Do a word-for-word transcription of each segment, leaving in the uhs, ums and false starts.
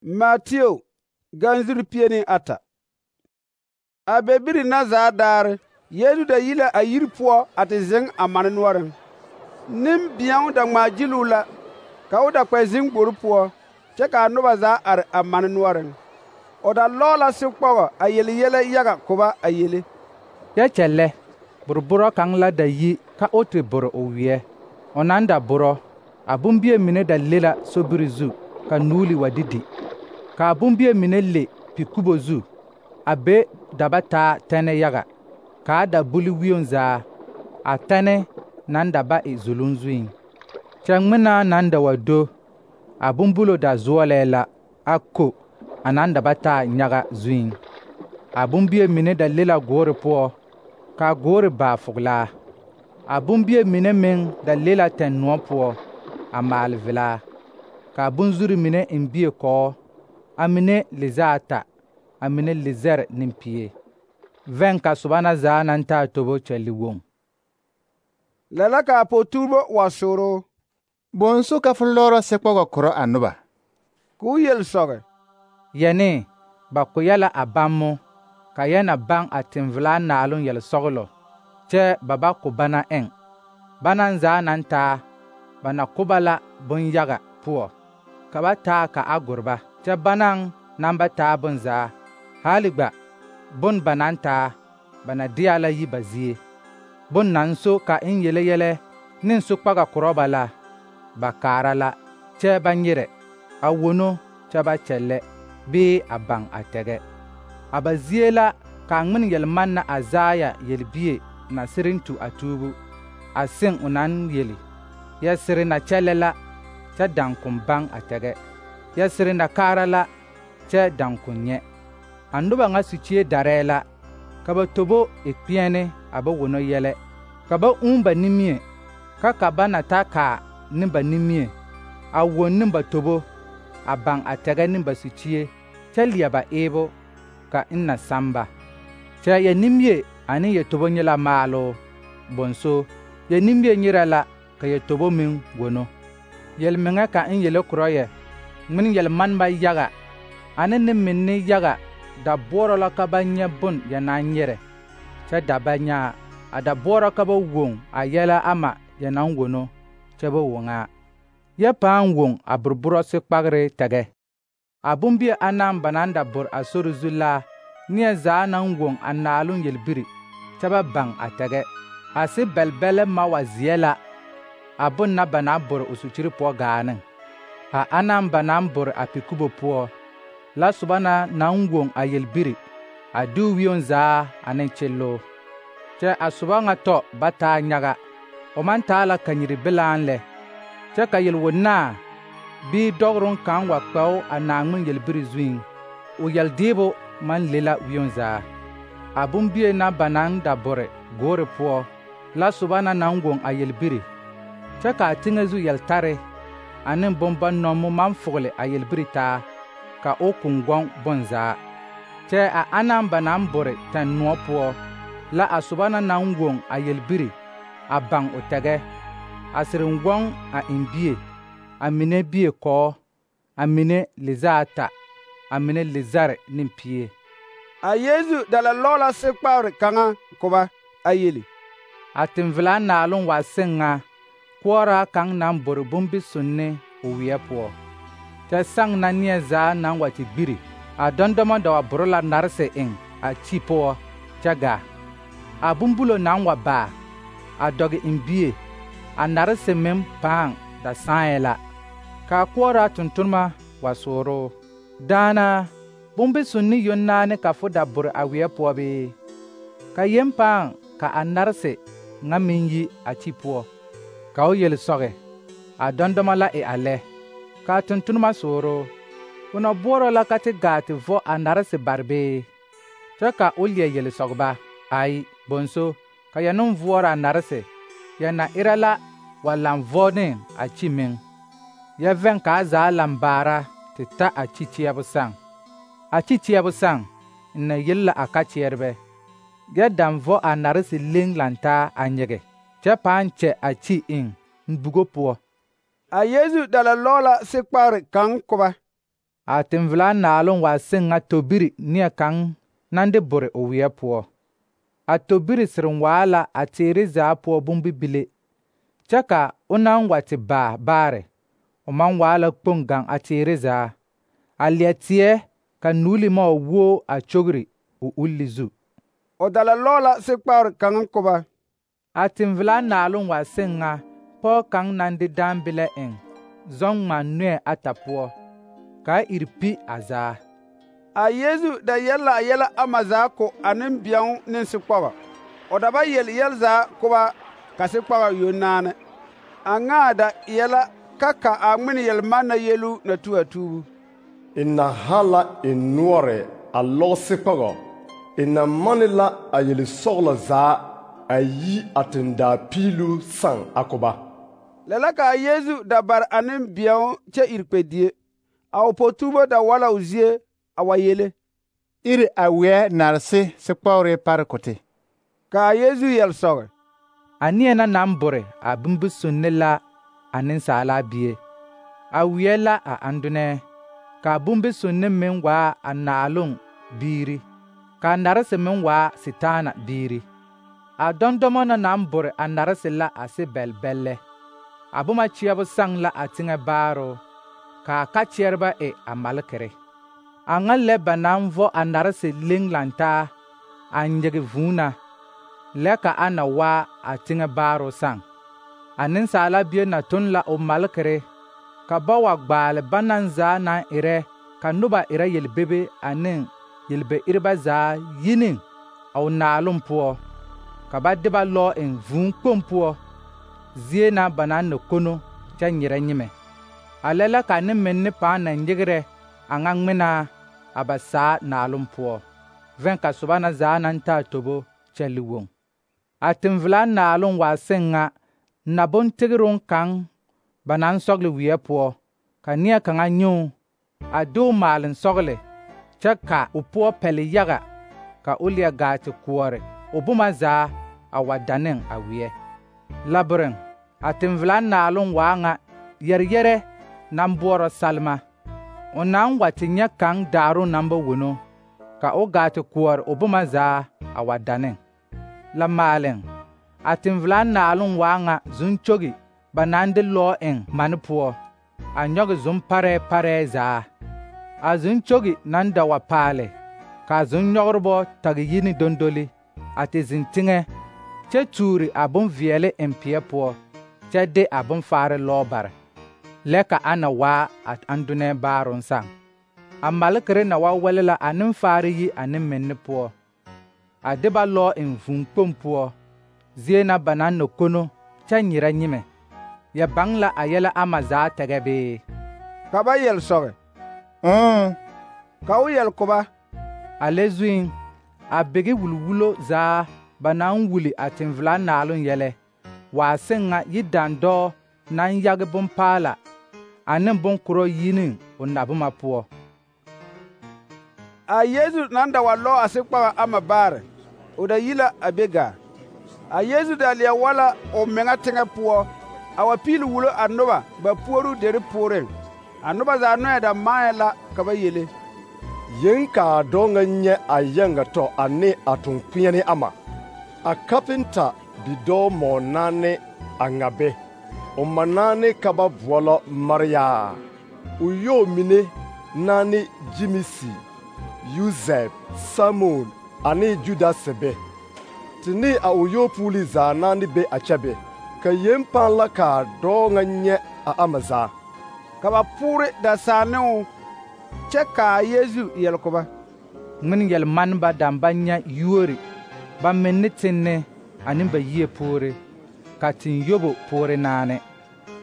Mateo ganzuri pie ne ata. A bebiri na zaa daare, Yesu da yi la a yiri poɔ a te zeŋ a mane noɔreŋ. Nembeɛo da ŋmaa gyiluu la, ka o da kpɛ zeŋ gbori poɔ, kyɛ ka a noba zaa are a mane noɔreŋ. O da lɔɔ la sikpɔgɔ a yele yɛlɛ yaga ko ba a yele. Yɛ kyɛllɛ, borborɔ kaŋ la da yi ka o te bore o weɛ. O naŋ da borɔ, a bombie mine da le la sobiri zu ka nuuli wa didi. Ka a bombie mine le pi-kubo zu, a be da ba taa tɛne yaga, kaa da buli wioŋ zaa, a tɛne naŋ da ba e zuluŋ zuiŋ. Kyɛ ŋmenaa naŋ da wa do, a bombulo da zoɔlɛɛ la a ko a naŋ da ba taa nyaga zuiŋ. A bombie mine da le la goore poɔ, kaa goore baa fogelaa. A bombie mine meŋ da le la tɛnnoɔ poɔ, a maale velaa. Kaa bonzuri mine eŋ bie kɔɔ, a mine lizɛ ata, a mine lizɛre ne pie. Vɛŋ ka soba na zaa naŋ taa tobo kyɛlle woŋ. Lɛ la kaa po-tuurebo wa sooroo. Bõosu ka fo lɔɔrɔ sikpɔgɔ korɔ a noba? K'o yel sɔge. Yɛne, ba ko yɛ la a bammo, ka yɛ na baŋ a tenvelaa naaloŋ yɛlsɔgelɔ, kyɛ ba ba ko bana eŋ. Banaŋ zaa naŋ taa, ba na ko ba la bonyaga poɔ, ka ba taa ka a gore ba. Kyɛ banaŋ naŋ ba taa bonzaa, haali gba, bon ba naŋ taa, ba na deɛ la yi ba zie. Bon naŋ so ka eŋ yele yɛlɛ ne sokpaga korɔ ba la, ba kaara la, kyɛ ba nyerɛ, a wono kyɛ ba kyɛllɛ, bee a baŋ a tɛgɛ. A ba zie la ka a ŋmen yelmanna a Azaya yelbie na sereŋ tu a tuubu, a seŋ o naŋ yeli: yɛsere na kyɛllɛ la, kyɛ daŋkon baŋ a tɛgɛ. Yɛsere na kaara la, kyɛ daŋkon nyɛ. A noba ŋa sikyie darɛɛ la, ka ba tobo e kpeɛne a ba wono yɛlɛ, ka ba ūū ba nimie, ka ka ba na ta kaa ne ba nimie, a won ne ba tobo, a baŋ a tɛgɛ ne ba sikyie, kyɛ leɛ ba eebo, ka eŋ na sãmba. Kyɛ yɛ nimie ane yɛ tobo nye la maaloo, bonso, yɛ nimie nyerɛ la, ka yɛ tobo meŋ wono. Yelmeŋɛ ka eŋ yele korɔ yɛ, ŋmen yelmaneba yaga ane nembinne yaga da boɔrɔ la ka ba nyɛ bon yɛ naŋ nyerɛ, kyɛ da ba nyaa, a da boɔrɔ ka ba woŋ a yɛlɛ ama yɛ naŋ wono, kyɛ ba woŋaa. Yɛ pãã woŋ a borborɔ sikpagre tɛgɛ. A bombie anaŋ ba naŋ da bore a sori zu la, neɛ zaa naŋ woŋ a naaloŋ yelbiri, kyɛ ba baŋ a tɛgɛ. A se bɛlbɛlɛ ma wa zeɛ la, a bon na ba na bore o sukyiri poɔ gaa neŋ. A anaŋ ba naŋ bore a pi-kubo poɔ, la soba na naŋ woŋ a yelbiri, a de o wioŋ zaa ane kyelloo. Kyɛ a soba ŋa tɔ ba taa nyaga, o maŋ taa la kanyiri bilaaŋ lɛ, kyɛ ka yelwonnaa bii dɔgeroŋ kaŋ wa kpɛo a Naaŋmen yelbiri zuiŋ, o yeldeebo maŋ le la wioŋ zaa. A bombie na ba naŋ da bore goore poɔ, la soba na naŋ woŋ a yelbiri, kyɛ ka a teŋɛ zu yeltare ane bombannɔmo maŋ fogele a yelbiri taa, ka o koŋ gɔŋ bonzaa. Kyɛ a anaŋ ba naŋ bore tɛnnoɔ poɔ, la a soba na naŋ woŋ a yelbiri, a baŋ o tɛgɛ, a sereŋ gɔŋ a eŋ bie, a mine bie kɔɔ, a mine lizɛ ata, a mine lizɛre ne pie. A Yesu da la lɔɔ la sikpagre kaŋa ko ba, a yeli: A tenvelaa naaloŋ waa seŋ ŋa, koɔraa kaŋ naŋ bore bombisonne o weɛ poɔ. Kyɛ saŋ na neɛ zaa naŋ wa te gbiri, a dɔndɔmɔ da wa bore la narese eŋ a kyi poɔ, kyɛ gaa. A bombulo naŋ wa baa, a dɔge eŋ bie, a narese meŋ pãã da sããɛ la. Kaa koɔraa tontonema wa sooroo: daana, bombisonne yonnaane ka fo da bore a weɛ poɔ bee? Ka yen pãã ka a narese ŋa meŋ yi a kyi poɔ. Ka o yel sɔge: a dɔndɔmɔ la e a lɛ. Ka a tontonema sooroo: fo na boɔrɔ la ka te gaa te vɔ a narese bare bee? Kyɛ ka o leɛ yele sɔge ba: ai, bonso, ka yɛ neŋ voɔrɔ a narese, yɛ na erɛ la wa laŋ vɔ ne a kyi meŋ. Yɛ vɛŋ kaa zaa laŋ baara te ta a kyi kyeɛbo saŋ. A kyi kyeɛbo saŋ, n na yelle la a kakyeɛrebɛ. Yɛ daŋ vɔ a narese leŋ lantaa a nyege, kyɛ pãã kyɛ a kyi eŋ n bugo poɔ. A Yesu da la lɔɔ la sikpagre kaŋ ko ba. A tẽn-velaa naaloŋ waa seŋ ŋa tobiri neɛ kaŋ naŋ de bore o weɛ poɔ. A tobiri sereŋ waa la a teere zaa poɔ bombibile, kyɛ ka o naŋ wa te baa baare, o maŋ waa la kpoŋ gaŋ a teere zaa. A leɛ teɛ ka nuuli ma wa wuo a kyogri o ulli zu. O da la lɔɔ la sekpagre kaŋa ko ba. A tẽn-velaa naaloŋ waa seŋ ŋa pɔge kaŋ naŋ de daambelɛ eŋ zɔŋ ŋmaa nɔɛ ata poɔ, kaa iri pi a zaa. A Yeezu da yɛl la a yɛlɛ ama zaa ko a nembɛŋ ne sekpɔgɔ. O da ba yel yɛl zaa ko ba ka sekpagɔ yoŋ naane. A ŋaa da eɛ la ka ka a ŋmene yel-manna yelu na tu a tuubu. E na ha la e noɔre a lɔg sekpɔgɔ, e na manne la a yel-sɔglɔ zaa a yi a tendaa piilu sãn a ko ba. Lɛ la ka a Yeezu da bare a nembɛŋ kyɛ iri kpɛdie. A o po-tuubo da wa la o zie a wa yele. Iri a weɛ narse sekpɔgre pare ko te. Ka a Yeezu yɛl sɔge. A neɛ na naŋ bore a bombisonne la a Nensaalaa Bie. A weɛ la a andonɛɛ, ka a bombisonne meŋ waa a naaloŋ biiri, ka a narese meŋ waa Setaana biiri. A dɔndɔmɔ na naŋ bore a narese la a se bɛlbɛllɛ. A boma kyeɛbo saŋ la a teŋɛ baaroo, ka a ka-kyeɛrebɛ e a malekere. A ŋa lɛ ba naŋ vɔ a narese leŋ lantaa a nyege vūū na, lɛ ka a na waa a teŋɛ baaroo saŋ. A Nensaala Bie na toŋ la o malekere, ka ba wa gbaale banaŋ zaa naŋ erɛ ka noba erɛ yelbebe ane yelbe-ereba zaa yi ne a o naaloŋ poɔ, ka ba de ba lɔɔ eŋ vūū kpoŋ poɔ, zie na ba naŋ na kono kyɛ nyerɛ nyemɛ. A lɛ la ka nemenne pãã na nyegrɛ a ŋa ŋmenaa a ba saa naaloŋ poɔ, vɛ̃ ka soba na zaa naŋ taa tobo kyɛ liwoŋ. A tẽn-velaa naaloŋ waa seŋ ŋa nabontegeroŋ kaŋ ba naŋ sɔgle weɛ poɔ, ka neɛ kaŋa nyoo a de o maaleŋ sɔgle, kyɛ ka o poɔ pɛle yaga, ka o leɛ gaa te koɔre o boma zaa a wa da ne a weɛ. Labireŋ, a tẽn-velaa naaloŋ waa ŋa yɛreyɛrɛ naŋ boɔrɔ salma. O naŋ wa te nyɛ kaŋ daaroŋ naŋ ba wono, ka o gaa te koɔre o boma zaa a wa da ne. La maaleŋ, a tẽn-velaa naaloŋ waa ŋa zuŋkyogi ba naŋ de lɔɔ eŋ mane poɔ, a nyɔge zʋŋ-parɛɛ parɛɛ zaa. A zuŋkyogi naŋ da wa paale, ka a zʋŋ-nyɔgerebɔ tage yi ne dondoli, a te zeŋ teŋɛ, kyɛ tuuri a bonveɛle eŋ peɛ poɔ, kyɛ de a bonfaare lɔɔ bare, lɛ ka a na waa a andonɛɛ baaroŋ saŋ. A malekere na wa wɛle la a nenfaare yi a nemmenne poɔ, a de ba lɔɔ eŋ vūū kpoŋ poɔ, zie na ba naŋ na kono kyɛ nyerɛ nyemɛ. Ya baŋ la a yɛlɛ ama zaa tɛgɛ bee? Ka ba yɛl sɔge. Mm. Ka o yɛl ko ba. A lɛ zuiŋ, a bege wulwulo zaa ba naŋ wuli a tẽn-velaa naaloŋ yɛlɛ waa seŋ ŋa yidandɔɔ naŋ yage bompaala ane bonkorɔ yi ne o naboma poɔ. A Yeezu naŋ da wa lɔɔ a sekpagɔ ama baare, o da yi la a be gaa. A Yeezu da leɛ wa la o meŋa teŋɛ poɔ, a wa piili wulo a noba ba puoruu deri pooreŋ. A noba zaa nɔɛ da maɛ la ka ba yele. Yeŋ ka a dɔɔ ŋa nyɛ a yaŋa tɔ ane a toŋkpeɛne ama. A kapenta bidɔɔ mɔɔ naane a ŋa be. O ma naane ka ba boɔlɔ Mariyaa. O yɔɔ mine naane Jimisi, Yusɛp, Samon ane Judase be. Te ne a o yɔɔpuuli zaa naane be a kyɛ be. Ka yen pãã la ka a dɔɔ ŋa nyɛ a ama zaa. Ka ba poore da saa ne o, kyɛ ka a Yeezu yɛl ko ba. Ŋmene yɛl-maneba daŋ ba nyɛ yuori, ba menne tenne ane ba yie poore, ka ten-yobo poore naane.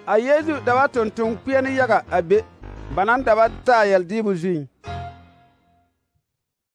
A Yeezu da ba tontoŋ kpeɛne yaga a be, ba naŋ da ba taa yɛldeebo zuiŋ.